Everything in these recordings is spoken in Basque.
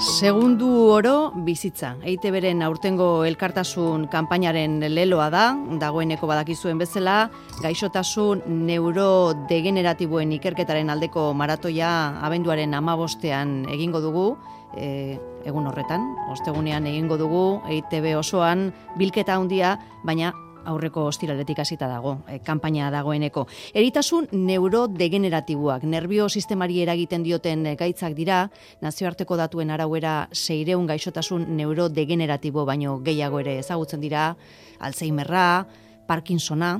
Segundu oro bizitza. EITBren aurtengo elkartasun kanpainaren leloa da, dagoeneko badakizuen bezala, gaixotasun neurodegeneratiboen ikerketaren aldeko maratoia abenduaren 15ean egingo dugu, egun horretan, ostegunean egingo dugu, EITB osoan bilketa handia, baina aurreko ostiraletik hasita dago, kanpaina dagoeneko. Eritasun neurodegeneratiboak, nerbio sistemari eragiten dioten gaitzak dira, nazioarteko datuen arauera 600 gaixotasun neurodegeneratibo baino gehiago ere ezagutzen dira, Alzheimerra, Parkinsona,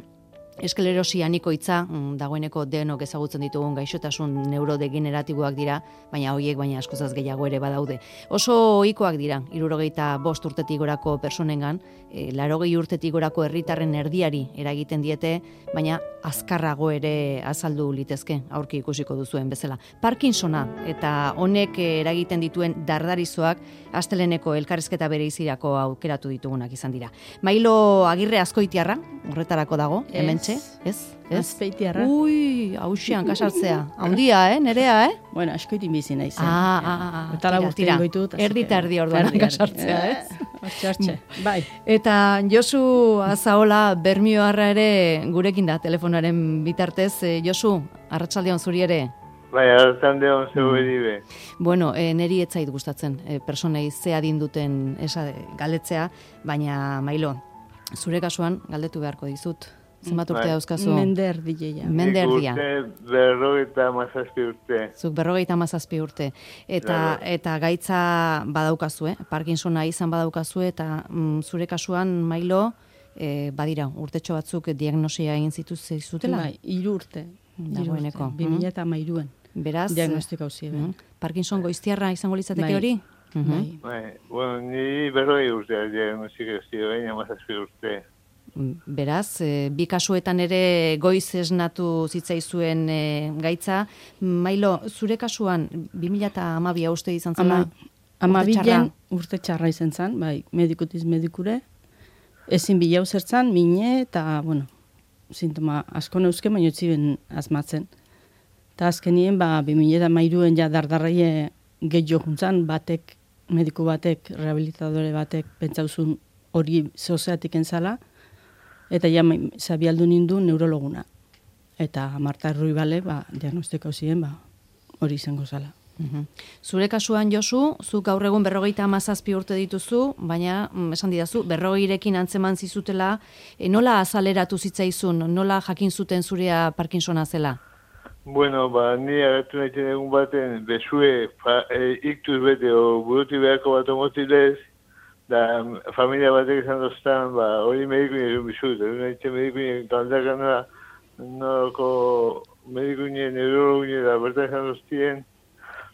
esklerosi anikoitza, dagoeneko denok ezagutzen ditugun gaixotasun neurodegeneratiboak dira, baina horiek baina askozaz gehiago ere badaude. Oso ohikoak dira, 65 urtetik gorako personengan, 80 urtetik gorako herritarren erdiari eragiten diete, baina azkarrago ere azaldu litezke, aurki ikusiko duzuen bezala. Parkinsona eta honek eragiten dituen dardarizoak asteleneko elkarrizketa bereizirako aukeratu ditugunak izan dira. Mailo Agirre Azkoitiarra, horretarako dago, hementxe, ez? Azpeitiarra. Ui, hausian kasartzea. Handia, Nerea, Bueno, askoitin bizi naiz. Tira, erdi eta erdi orduan kasartzea, ez? Hortxe, bai. Eta Josu Azaola Bermioarra ere gurekin da telefonaren bitartez. Josu, arratsaldeon zuri ere. Bai, arratsaldeon zuri be. Bueno, neri ez zait gustatzen personei ze adin duten galdetzea, baina Mailo, zure kasuan galdetu beharko dizut. Zenbat urte dauzkazu? Menderdia. Menderdia. Urte, 57 urte. Zuk 57 urte. Eta gaitza badaukazu, Parkinsona izan badaukazu, eta zure kasuan, Mailo, badira, urtetxo batzuk diagnosia egin zituztela? Bai, 3 urte. Dagoeneko. 2013an. Beraz, diagnostiko hauzi. Parkinson goiztiarra izango litzateke hori? Bai, bueno, ni 40 urte diagnostiko hauzi, baina 57 urte. Beraz, bi kasuetan ere goiz esnatu zitzaizuen gaitza. Mailo, zure kasuan 2012 uste izan zela? 12 urte txarra izan zen, bai, medikutiz medikure. Ezin bilau zertzan, mine, eta, bueno, sintoma asko neuzke, baina ziben asmatzen. Eta azkenien, 2013an ja dardarraie gehiago juntzan, mediku batek, rehabilitadore batek, pentsauzun hori zozeatik entzala, eta ja zabialdu nindu neurologuna. Eta Marta Ruibale, diagnostiko ziren, hori izango zala. Zure kasuan, Josu, zuk gaur egun 57 urte dituzu, baina esan didazu, 40rekin antzeman zizutela, nola azaleratu zitzaizun, nola jakin zuten zurea Parkinsona zela? Bueno, ni agertu nahi egun baten, bezue iktuz bete o buruti beharko bat omotilez, da familia batek izan doztan, hori medikuinen egin bizut, egin nahi medikuinen taldakana, noroko medikuinen, neurologinen, da bertan izan doztien,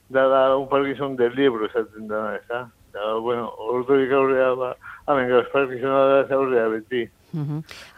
da un Parkinson del libro esaten dana, ez da? Da, bueno, ordurik aurrea, hamen gauz Parkinsona da, aurrea beti.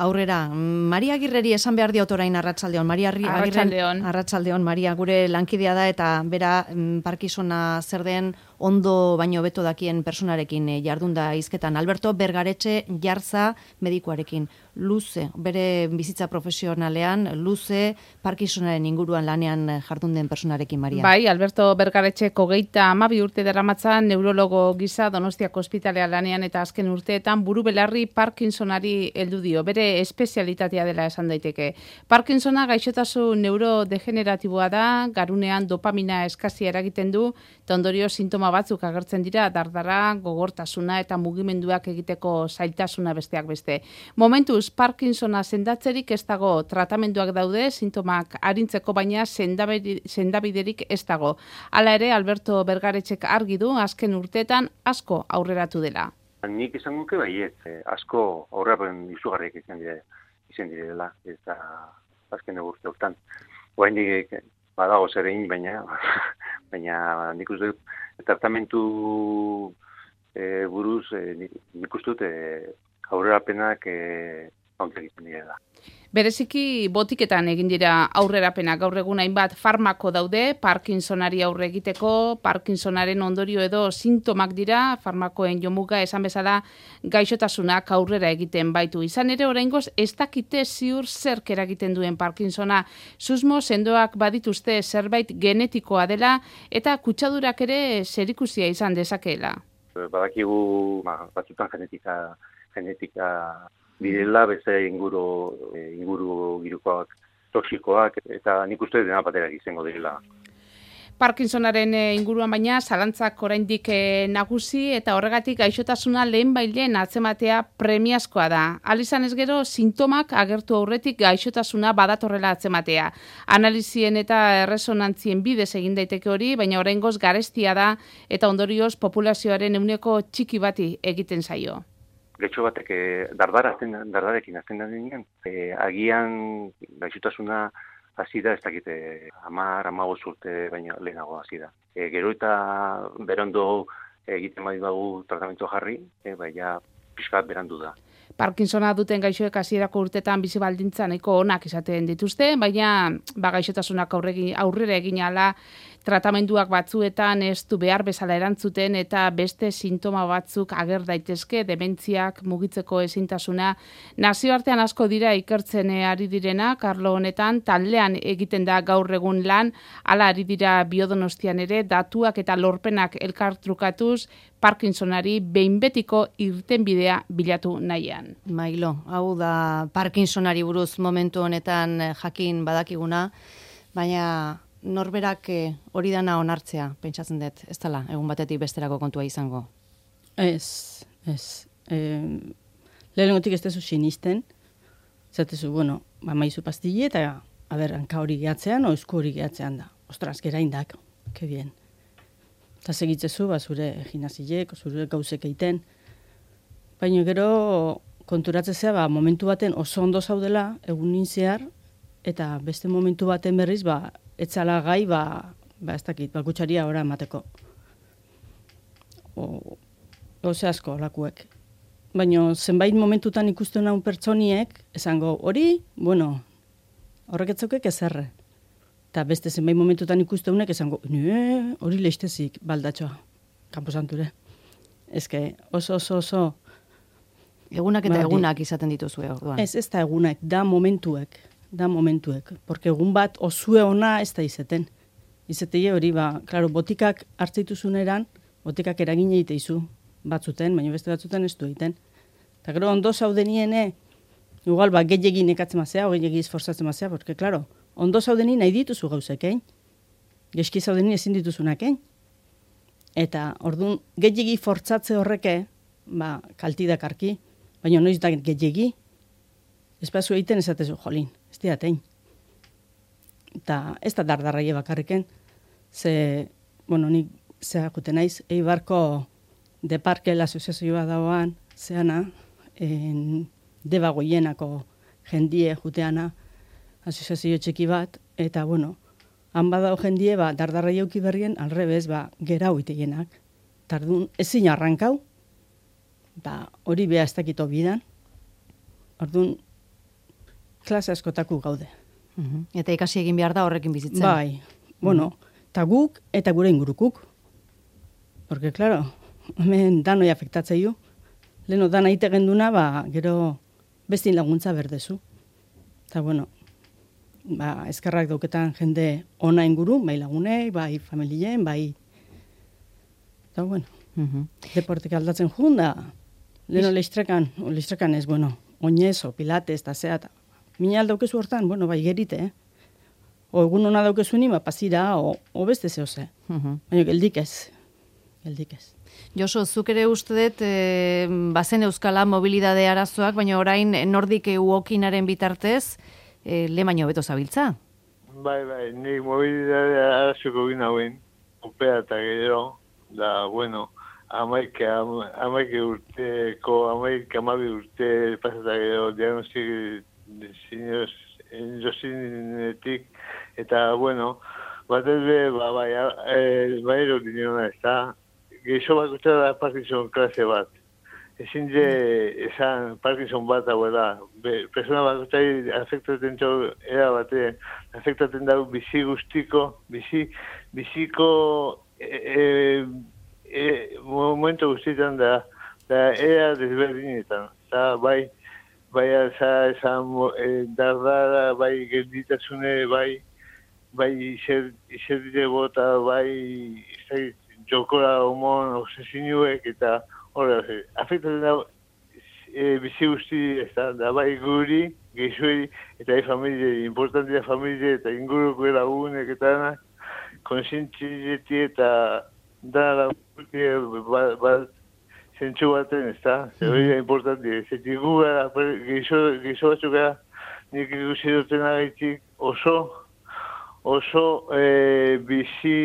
Aurrera, Maria Agirreri esan behar diot orain arratsaldeon. Maria arratsaldeon, Maria gure lankidea da eta bera Parkinsona zer den ondo baino beto dakien personarekin jardunda hizketan. Alberto Bergaretxe Jarza medikuarekin. Luze, bere bizitza profesionalean, luze Parkinsonaren inguruan lanean jardun den personarekin, Maria. Bai, Alberto Bergaretxe 32 urte daramatzan neurologo gisa Donostiako ospitalea lanean eta azken urteetan buru belarri Parkinsonari heldu dio. Bere espezialitatea dela esan daiteke. Parkinsona gaixotasun neurodegeneratiboa da, garunean dopamina eskazia eragiten du, eta ondorio sintoma batzuk agertzen dira, dardara, gogortasuna eta mugimenduak egiteko zailtasuna besteak beste. Momentuz, Parkinsona sendatzerik ez dago, tratamenduak daude, sintomak arintzeko baina sendabiderik ez dago. Hala ere, Alberto Bergaretxek argi du, azken urteetan asko aurreratu dela. Nik izango nuke baiet, asko aurrerapen izugarriak izan direla, eta azken urte hortan. Oraindik badago zer egin, baina nik uste dut tratamentu buruz nik uste dut aurrerapenak ontzak izan direla. Bereziki botiketan egin dira aurrerapenak gaur egun hainbat farmako daude, Parkinsonari aurre egiteko, Parkinsonaren ondorio edo sintomak dira, farmakoen jomuga esan bezala gaixotasunak aurrera egiten baitu. Izan ere oraingoz ez dakite ziur zerk eragiten duen Parkinsona, susmo sendoak badituzte zerbait genetikoa dela eta kutsadurak ere zerikusia izan dezakeela. Badakigu batzutan genetika direla, beste inguru girukoak, toxikoak, eta nik uste dena baterak izango direla. Parkinsonaren inguruan baina zalantzak oraindik nagusi eta horregatik gaixotasuna lehenbailehen atzematea premiazkoa da. Alizan ez gero sintomak agertu aurretik gaixotasuna badatorrela atzematea. Analizien eta erresonantzien bidez egin daiteke hori, baina oraingoz garestia da eta ondorioz populazioaren ehuneko txiki bati egiten zaio. Gaixo batek dardarekin azten da denean, agian gaixotasuna hasi da, ez dakite, 10-15 urte baino lehenago hasi da. Gero eta berondo egiten badugu tratamentu jarri, baina pixkat berandu da. Parkinsona duten gaixoek hasierako urtetan bizi baldintza nahiko onak izaten dituzte, baina gaixotasunak aurrera egin ahala tratamenduak batzuetan ez du behar bezala erantzuten eta beste sintoma batzuk ager daitezke, dementziak, mugitzeko ezintasuna. Nazioartean asko dira ikertzen ari direnak, arlo honetan taldean egiten da gaur egun lan, hala ari dira Biodonostian ere datuak eta lorpenak elkartrukatuz Parkinsonari behin betiko irtenbidea bilatu nahian. Mailo, hau da Parkinsonari buruz momentu honetan jakin badakiguna, baina norberak hori dana onartzea, pentsatzen dut, ez dela, egun batetik besterako kontua izango? Ez. Lehenengotik ez dezu sinisten, zatezu, maizu pastille eta, hanka hori gehatzean, o esku hori gehatzean da. Ostras, geraindak, que bien. Eta segitzezu, zure gimnasiek, zure gauzek egiten. Baina gero konturatzea, momentu baten oso ondo zaudela, egunin zehar, eta beste momentu baten berriz, etzala gai, ez dakit, kutsaria ora emateko. Gauze asko, lakuek. Baina zenbait momentutan ikusten naun pertsoniek, esango, hori, horrek etzaukek ezerre. Eta beste zenbait momentutan ikusteуnek esango, hori leiztezik baldatxoa, kanposanture. Ezke, oso... Egunak eta egunak izaten dituzue, orduan. Ez da egunak, da momentuek. Porque egun bat osue ona ez da izeten. Izetei hori, klaro, botikak hartzeituzuneran, botikak eragin egiteizu batzuten, baina beste batzuten ez du egiten. Eta gero ondo zaudeniene, igual, gehiagin ekatzen mazea, o gehiagin esforzatzen mazea, porque, klaro, ondo zaudeni nahi dituzu gauzekein, geski zaudeni ezin dituzunakein. Eta, orduan, gehiagi fortzatze horreke, kaltidakarki, baina noiz da gehiagi, ez bazu egiten ezatezu, jolin, ez diatein. Eta ez da dardarraie bakarriken, nik zehakute naiz, Eibarko de Parke l'asoziazioa dagoan, zeana, deba goienako jendie juteana, asoziazio txiki bat, eta, han badao jendie, dardarraie auki berrien, alrebez, gerau iteienak. Tardun, ezin arrankau, hori beha ez dakito bidan, orduan, klase askotaku gaude. Eta ikasi egin behar da horrekin bizitzen. Bai, eta guk eta gure ingurukuk. Porque, claro, hemen danoi afektatzeiu. Leheno dana ite genduna, gero bestin laguntza berdezu. Eta, eskerrak dauketan jende ona inguru, bai lagunei, bai familien, bai... Eta, deportek aldatzen jun da. Leheno leiztrakan ez, oinez, o pilates, eta zea, eta mina aldaukezu hortan, bai gerite, O egun hona daukezu ni, pasira, o beste zehoze. Baina geldik ez. Josu, zuk ere uste dut, bazen euskala mobilidade arazoak, baina orain nordik uokinaren bitartez, lemaino beto zabiltza? Bai, nik mobilidade arazoko gina hauen, opea eta gero, da, amaike amabi urte pasata gero, diagnostik endosinetik, eta, bat ez bai erodineona ez da, geixo bat da Parkinson klase bat. ezin de esan Parkinson bat hauela. Persona bakoitzari afektatzen era batean, afektatzen dago bizi guztiko, biziko momentu guztietan da era desberdinetan. Eta bai dardara, bai gelditasune, bai izerdire bota, bai jokora homon obsesinuek eta horre, afektatzen dago bizi guzti, da bai guri, gehizueri, eta familie, importantia familie, eta inguruko lagunek eta danak, konsientzieti eta dara bat zentsu baten, hori da importantia. Zetik gu gara, gehizo batzuk gara, nik ikusi duten agaitik oso bizi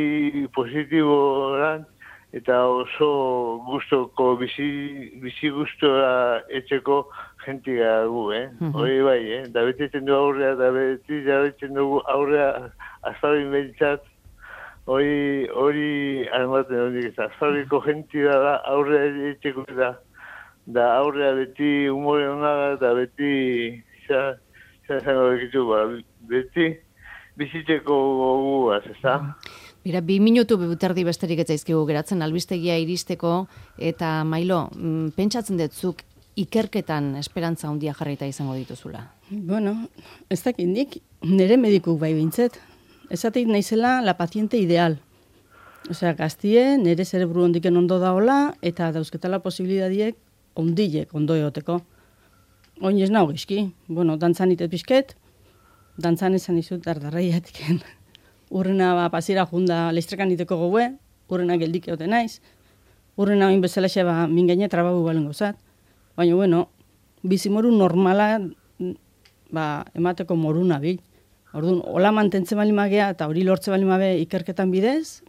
positiboran, eta oso gustoko, bizi gustora etxeko jenti gara gu, hori bai, da betetzen du aurrea, da betetzen dugu aurrea azpabin behitzat, hori armaten hondik ez, azpabiko jenti da aurrea etxeko da aurrea beti humore honaga, eta beti, zango bekitu, beti bizitzeko goguaz, ez da? Bira, 2 minutu bebuterdi besterik ez zaizkigu geratzen albistegia iristeko, eta Mailo, pentsatzen detzuk ikerketan esperantza handia jarrita izango dituzula? Bueno, ez dakit nik, nire medikuk bai bintzet. Esatik naizela la paziente ideal. Osea, gaztie, nire zerebru ondiken ondo daola, eta dauzketala posibilidadiek ondilek ondo eoteko. Oin ez nago gizki. Bueno, dantzan itet bizket, dantzan esan izut dardarraiatiken. Urrena pasira junda leistrekan iteko gogue, urrena geldik eote naiz, urrena oin bezalaxe min gaine trababu balen gozat. Baina, bueno, bizimoru normala emateko moruna bil. Orduan, hola mantentzen bali magea eta hori lortze bali mabe ikerketan bidez,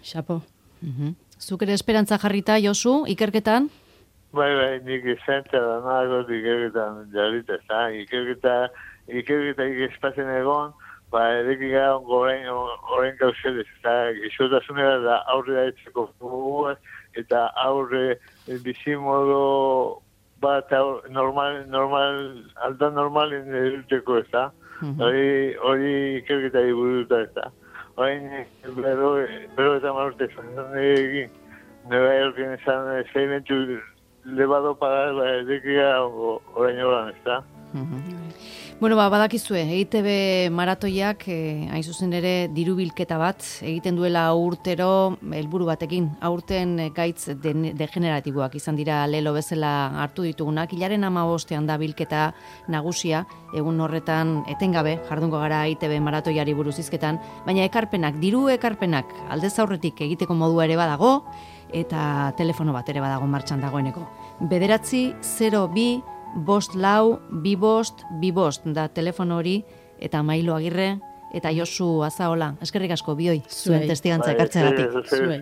xapo. Zuk ere esperantza jarrita, Josu, ikerketan? Bai, nik izantza da nago ikerketan jarrita, ikerketa ikespatzen egon, edekin gara orain gauzedez, eta izotasunera da aurre etxeko guguaz, eta aurre bizimodo bat aldan normalin eduteko ez da. Hori ikerketa iburuta ez da. Orain, bero eta marurte zantzan egin, Nueva Yorken esan esperimentu lebado pagar, edekin gara orain horan ez da. Bueno, badakizue, EITB maratoiak, hain zuzen ere, dirubilketa bat, egiten duela urtero, helburu batekin, aurten gaitz degeneratiboak izan dira lelo bezala hartu ditugunak, hilaren 15ean da bilketa nagusia, egun horretan etengabe, jardungo gara EITB maratoiari buruz hizketan, baina ekarpenak, diru ekarpenak, aldez aurretik egiteko modua ere badago, eta telefono bat ere badago martxan dagoeneko. 902 542 da telefono hori, eta Mailo Agirre, eta Josu Azaola. Eskerrik asko bioi, zuen testigantza ekartzeagatik. Zuei.